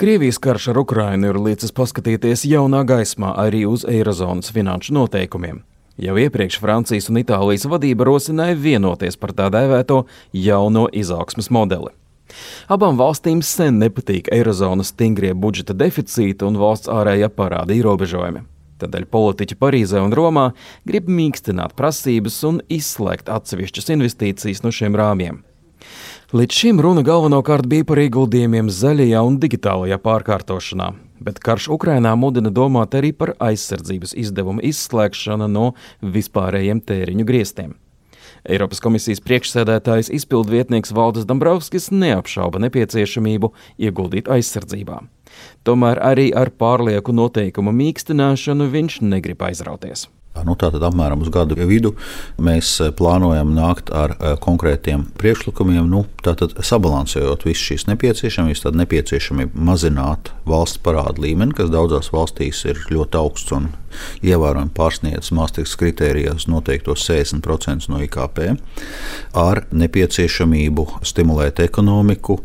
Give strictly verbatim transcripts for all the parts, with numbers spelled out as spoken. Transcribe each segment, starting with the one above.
Krievijas karš ar Ukrainu ir licis paskatīties jaunā gaismā arī uz Eirozonas finanšu noteikumiem. Jau iepriekš Francijas un Itālijas vadība rosināja vienoties par tā dēvēto jauno izaugsmes modeli. Abām valstīm sen nepatīk Eirozonas stingrie budžeta deficīti un valsts ārējā parāda ierobežojumi. Tādēļ politiķi Parīzē un Romā grib mīkstināt prasības un izslēgt atsevišķas investīcijas no šiem rāmjiem. Līdz šim runa galvenokārt bija par ieguldījumiem zaļajā un digitālajā pārkārtošanā, bet karš Ukrainā mudina domāt arī par aizsardzības izdevumu izslēgšanu no vispārējiem tēriņu griestiem. Eiropas komisijas priekšsēdētājs izpildvietnieks Valdis Dombrovskis neapšauba nepieciešamību ieguldīt aizsardzībā. Tomēr arī ar pārlieku noteikumu mīkstināšanu viņš negrib aizrauties. Nu, tātad apmēram uz gadu vidu mēs plānojam nākt ar konkrētiem priekšlikumiem, nu, tātad sabalansējot visu šīs nepieciešamības, tad nepieciešamība mazināt valsts parāda līmeni, kas daudzās valstīs ir ļoti augsts un ievērojami pārsniedz Maastrichtas kritērijos noteiktos sešdesmit procenti no I K P, ar nepieciešamību stimulēt ekonomiku,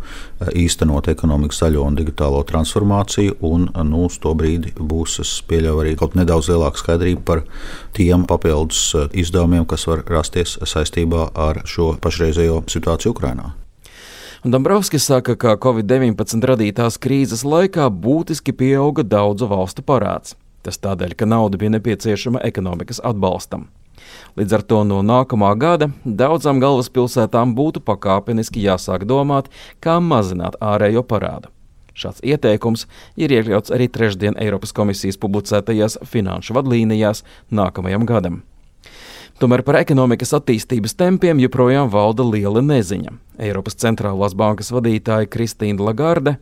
īstenot ekonomikas zaļo un digitālo transformāciju, un nu, uz to brīdi būs, es pieļauju, arī kaut nedaudz lielāka skaidrība par tiem papildus izdevumiem, kas var rasties saistībā ar šo pašreizējo situāciju Ukrainā. Dombrovskis saka, ka covid deviņpadsmit radītās krīzes laikā būtiski pieauga daudzu valstu parāds. Tas tādēļ, ka nauda bija nepieciešama ekonomikas atbalstam. Līdz ar to no nākamā gada daudzām galvaspilsētām būtu pakāpeniski jāsāk domāt, kā mazināt ārējo parādu. Šāds ieteikums ir iekļauts arī trešdien Eiropas komisijas publicētajās finanšu vadlīnijās nākamajam gadam. Tomēr par ekonomikas attīstības tempiem joprojām valda liela neziņa. Eiropas centrālās bankas vadītāja Kristīna Lagarde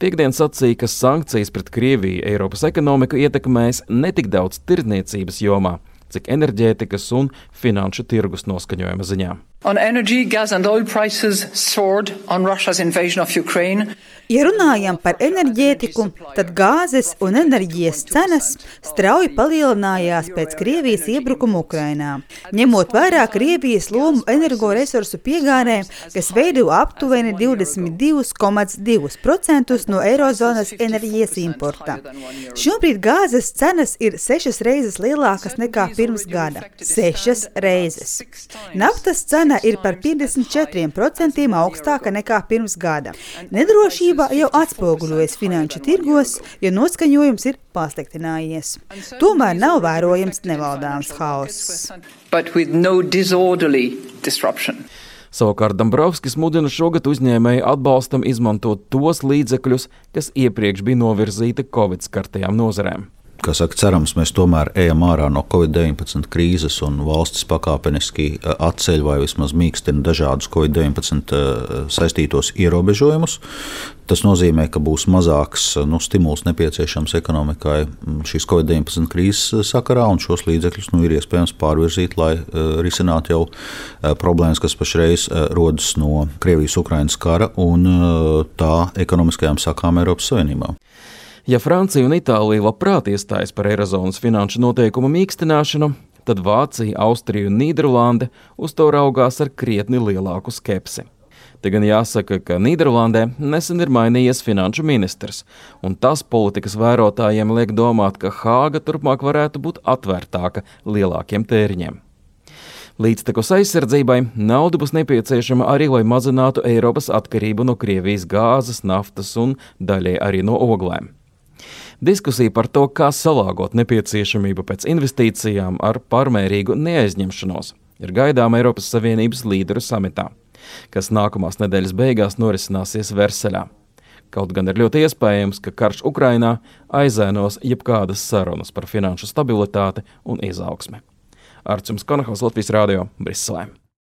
piekdien sacīja, ka sankcijas pret Krieviju Eiropas ekonomiku ietekmēs ne tik daudz tirdzniecības jomā, cik enerģētikas un finanšu tirgus noskaņojuma ziņā. On energy, gas and oil prices soared on Russia's invasion of Ukraine. Ja runājam par enerģētiku, tad gāzes un enerģijas cenas strauji palielinājās pēc Krievijas iebrukuma Ukrainā. Ņemot vērā Krievijas lomu energoresursu piegādē, kas veido aptuveni divdesmit divi komats divi procenti no Eirozonas enerģijas importa. Šobrīd gāzes cenas ir sešas reizes lielākas nekā pirms gada. Sešas reizes. Naftas cena ir par piecdesmit četriem procentiem augstāka nekā pirms gada. Nedrošība jau atspoguļojas finanšu tirgos, jo noskaņojums ir pasliktinājies. Tomēr nav vērojams nevaldāms haoss. No Savukārt Dombrovskis mudina šogad uzņēmēju atbalstam izmantot tos līdzekļus, kas iepriekš bija novirzīti Covid skartajām nozarēm. Kā saka, cerams, mēs tomēr ejam ārā no covid deviņpadsmit krīzes un valstis pakāpeniski atceļ vai vismaz mīkstina dažādus covid deviņpadsmit saistītos ierobežojumus. Tas nozīmē, ka būs mazāks nu, stimuls nepieciešams ekonomikai šīs covid deviņpadsmit krīzes sakarā, un šos līdzekļus nu, ir iespējams pārvirzīt, lai uh, risinātu jau uh, problēmas, kas pašreiz uh, rodas no Krievijas-Ukrainas kara un uh, tā ekonomiskajām sakām Eiropas Savienībā. Ja Francija un Itālija labprāt iestājas par Eirozonas finanšu noteikumu mīkstināšanu, tad Vācija, Austrija un Nīderlande uz to raugās ar krietni lielāku skepsi. Te gan jāsaka, ka Nīderlandē nesen ir mainījies finanšu ministrs, un tas politikas vērotājiem liek domāt, ka Hāga turpmāk varētu būt atvērtāka lielākiem tēriņiem. Līdztekus aizsardzībai nauda būs nepieciešama arī, lai mazinātu Eiropas atkarību no Krievijas gāzes, naftas un daļai arī no oglēm. Diskusija par to, kā salāgot nepieciešamību pēc investīcijām ar pārmērīgu neaizņemšanos, ir gaidāma Eiropas Savienības līderu samitā, kas nākamās nedēļas beigās norisināsies Versaļā. Kaut gan ir ļoti iespējams, ka karš Ukrainā aizēnos jebkādas sarunas par finanšu stabilitāti un izaugsmi. Arčuns Konahos, Latvijas Rādio, Briselē.